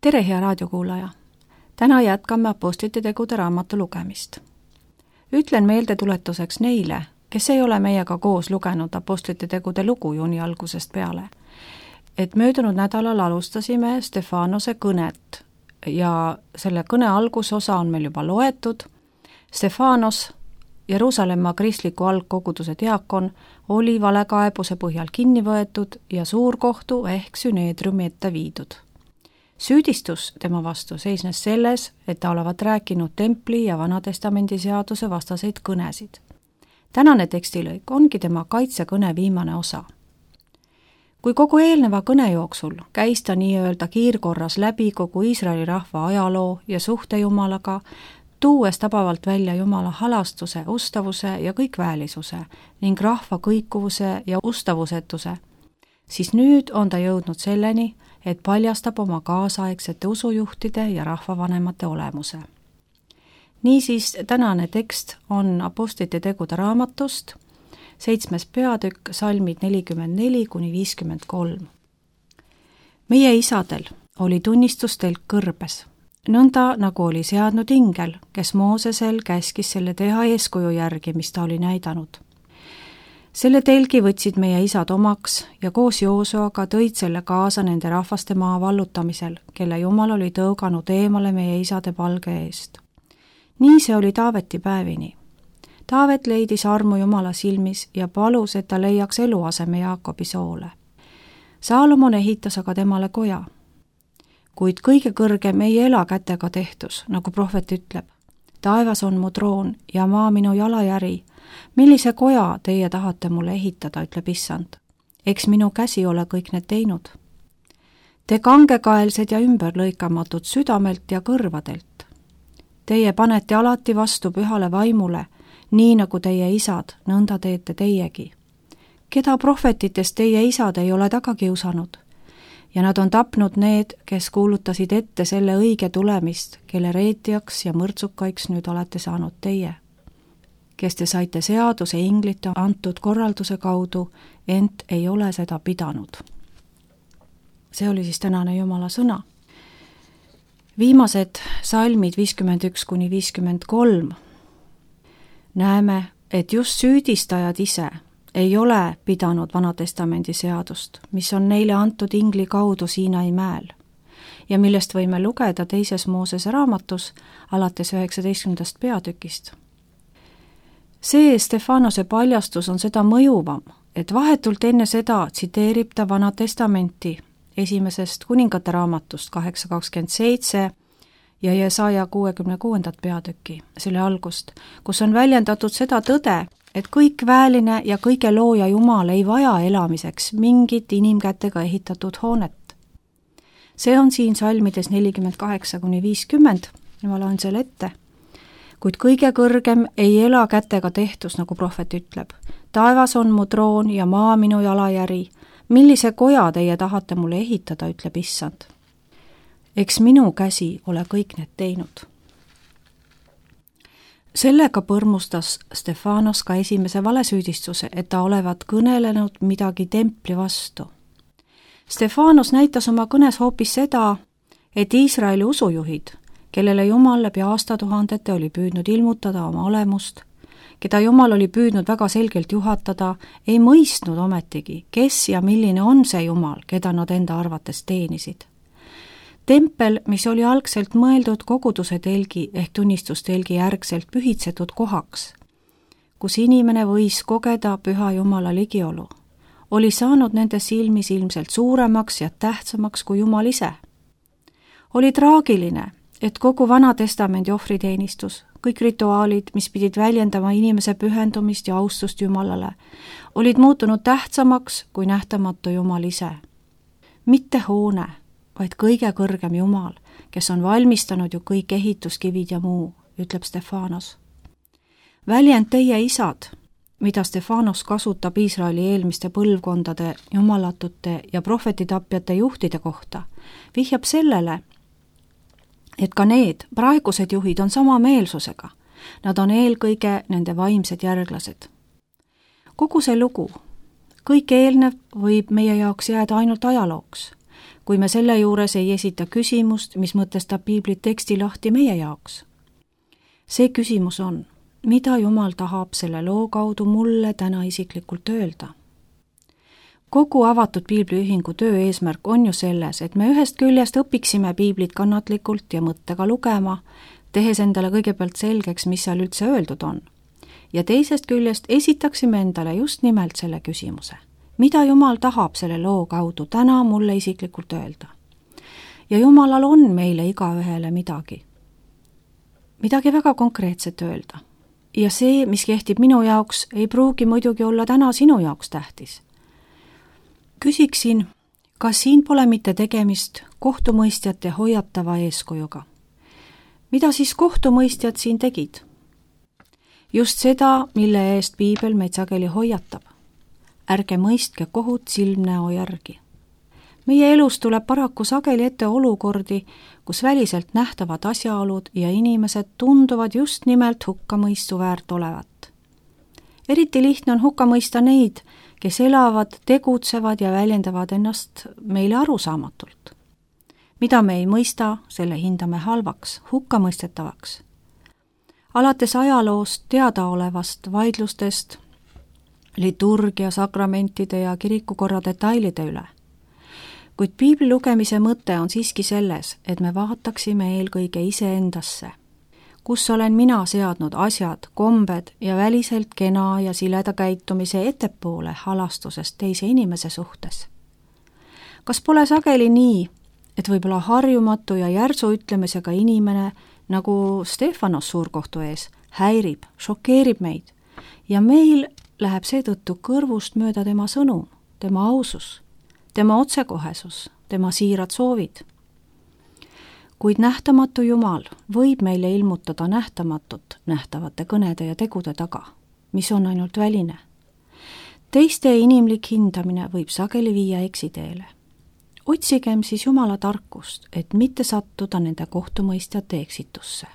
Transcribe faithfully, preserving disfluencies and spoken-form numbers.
tere, hea raadiokuulaja! Täna jätkame Apostlite tegude raamatu lugemist. Ütlen meeldetuletuseks neile, kes ei ole meiega koos lugenud Apostlite tegude lugu juuni algusest peale, et möödunud nädalal alustasime Stefanose kõnet ja selle kõne algusosa on meil juba loetud. Stefanos, Jeruusalemma kristliku algkoguduse diakon, oli valekaebuse põhjal kinni võetud ja suurkohtu ehk süneedriumi ette viidud. Süüdistus tema vastu seisnes selles, et ta olevat rääkinud templi ja Vanatestamendi seaduse vastaseid kõnesid. Tänane tekstilõik ongi tema kaitsekõne viimane osa. Kui kogu eelneva kõne jooksul käis ta nii-öelda kiirkorras läbi kogu Iisraeli rahva ajaloo ja suhte Jumalaga, tuues tabavalt välja Jumala halastuse, ustavuse ja kõikväälisuse ning rahva kõikuvuse ja ustavusetuse, siis nüüd on ta jõudnud selleni, et paljastab oma kaasaegsete usujuhtide ja rahvavanemate olemuse. Niisiis, tänane tekst on Apostlite tegude raamatust, seitsmes peatükk, salmid nelikümmend neli kuni viiskümmend kolm. Meie isadel oli tunnistustelk kõrbes, nõnda nagu oli seadnud ingel, kes Moosesel käskis selle teha eeskuju järgi, mis ta oli näidanud. Selle telgi võtsid meie isad omaks ja koos Joosuaga tõid selle kaasa nende rahvaste maa vallutamisel, kelle Jumal oli tõuganud eemale meie isade palge eest. Nii see oli Taaveti päevini. Taavet leidis armu Jumala silmis ja palus, et ta leiaks eluaseme Jaakobi soole. Saalomon ehitas aga temale koja. Kuid kõige kõrgem ei ela kätega tehtus, nagu prohvet ütleb. Taevas on mu troon ja maa minu jalajäri. Millise koja teie tahate mulle ehitada, ütleb issand. Eks minu käsi ole kõik need teinud. Te kangekaelsed ja ümberlõikamatud südamelt ja kõrvadelt. Teie panete alati vastu pühale vaimule, nii nagu teie isad, nõnda teete teiegi. Keda prohvetitest teie isad ei ole taga kiusanud? Ja nad on tapnud need, kes kuulutasid ette selle õige tulemist, kelle reetijaks ja mõrtsukaiks nüüd olete saanud teie, kes te saite seaduse inglite antud korralduse kaudu, ent ei ole seda pidanud. See oli siis tänane Jumala sõna. Viimased salmid viiskümmend üks kuni viiskümmend kolm näeme, et just süüdistajad ise ei ole pidanud Vanatestamendi seadust, mis on neile antud ingli kaudu Siinai mäel ja millest võime lugeda teises Moosese raamatus alates üheksateistkümnendast peatükist. See Stefanose paljastus on seda mõjuvam, et vahetult enne seda tsiteerib ta Vanatestamenti esimesest kuningate raamatust kaheksa kakskümmend seitse ja Jesaja kuuekümne kuuendat peatükki, selle algust, kus on väljendatud seda tõde, et kõik vääline ja kõige looja Jumal ei vaja elamiseks mingit inimkätega ehitatud hoonet. See on siin salmides nelikümmend kaheksa kuni viiskümmend, ma loen selle ette. Kuid kõige kõrgem ei ela kätega tehtus, nagu prohvet ütleb. Taevas on mu troon ja maa minu jalajäri. Millise koja teie tahate mulle ehitada, ütleb issand. Eks minu käsi ole kõik need teinud. Sellega põrmustas Stefanos ka esimese valesüüdistuse, et ta olevat kõnelenud midagi templi vastu. Stefanos näitas oma kõnes hoopis seda, et Iisraeli usujuhid, kellele Jumal läbi aastatuhandete oli püüdnud ilmutada oma olemust, keda Jumal oli püüdnud väga selgelt juhatada, ei mõistnud ometigi, kes ja milline on see Jumal, keda nad enda arvates teenisid. Tempel, mis oli algselt mõeldud koguduse telgi ehk tunnistustelgi järgselt pühitsetud kohaks, kus inimene võis kogeda püha Jumala ligiolu, oli saanud nende silmis ilmselt suuremaks ja tähtsamaks kui Jumal ise. Oli traagiline, et kogu Vanatestamendi ohvriteenistus, kõik rituaalid, mis pidid väljendama inimese pühendumist ja austust Jumalale, olid muutunud tähtsamaks kui nähtamatu Jumal ise. Mitte hoone, vaid kõige kõrgem Jumal, kes on valmistanud ju kõik ehituskivid ja muu, ütleb Stefanos. Väljend teie isad, mida Stefanos kasutab Iisraeli eelmiste põlvkondade jumalatute ja prohvetitapjate juhtide kohta, vihjab sellele, et ka need praegused juhid on sama meelsusega. Nad on eelkõige nende vaimsed järglased. Kogu see lugu, kõik eelnev võib meie jaoks jääda ainult ajalooks, kui me selle juures ei esita küsimust, mis mõtestab piibli teksti lahti meie jaoks. See küsimus on, mida Jumal tahab selle loo kaudu mulle täna isiklikult öelda? Kogu avatud piibliühingu töö eesmärk on ju selles, et me ühest küljest õpiksime piiblit kannatlikult ja mõttega lugema, tehes endale kõigepealt selgeks, mis seal üldse öeldud on. Ja teisest küljest esitaksime endale just nimelt selle küsimuse. Mida Jumal tahab selle loo kaudu täna mulle isiklikult öelda? Ja Jumalal on meile igaühele midagi. Midagi väga konkreetset öelda. Ja see, mis kehtib minu jaoks, ei pruugi muidugi olla täna sinu jaoks tähtis. Küsiksin, kas siin pole mitte tegemist kohtumõistjate hoiatava eeskujuga? Mida siis kohtumõistjad siin tegid? Just seda, mille eest piibel meid sageli hoiatab. Ärge mõistke kohut silmnäo järgi. Meie elus tuleb paraku sageli ette olukordi, kus väliselt nähtavad asjaolud ja inimesed tunduvad just nimelt hukkamõistu väärt olevat. Eriti lihtne on hukka mõista neid, kes elavad, tegutsevad ja väljendavad ennast meile arusaamatult. Mida me ei mõista, selle hindame halvaks, hukkamõistetavaks. Alates ajaloost teadaolevast vaidlustest, liturgia, sakramentide ja kirikukorra detailide üle. Kuid piibli lugemise mõte on siiski selles, et me vaataksime eelkõige iseendasse. Kus olen mina seadnud asjad, kombed ja väliselt kena ja sileda käitumise ettepoole halastusest teise inimese suhtes? Kas pole sageli nii, et võib-olla harjumatu ja järsu ütlemisega inimene, nagu Stefanos suurkohtu ees, häirib, šokeerib meid ja meil läheb seetõttu kõrvust mööda tema sõnum, tema ausus, tema otsekohesus, tema siirad soovid. Kuid nähtamatu Jumal võib meile ilmutada nähtamatut nähtavate kõnede ja tegude taga, mis on ainult väline. Teiste inimlik hindamine võib sageli viia eksiteele. Otsigem siis Jumala tarkust, et mitte sattuda nende kohtumõistjate eksitusse.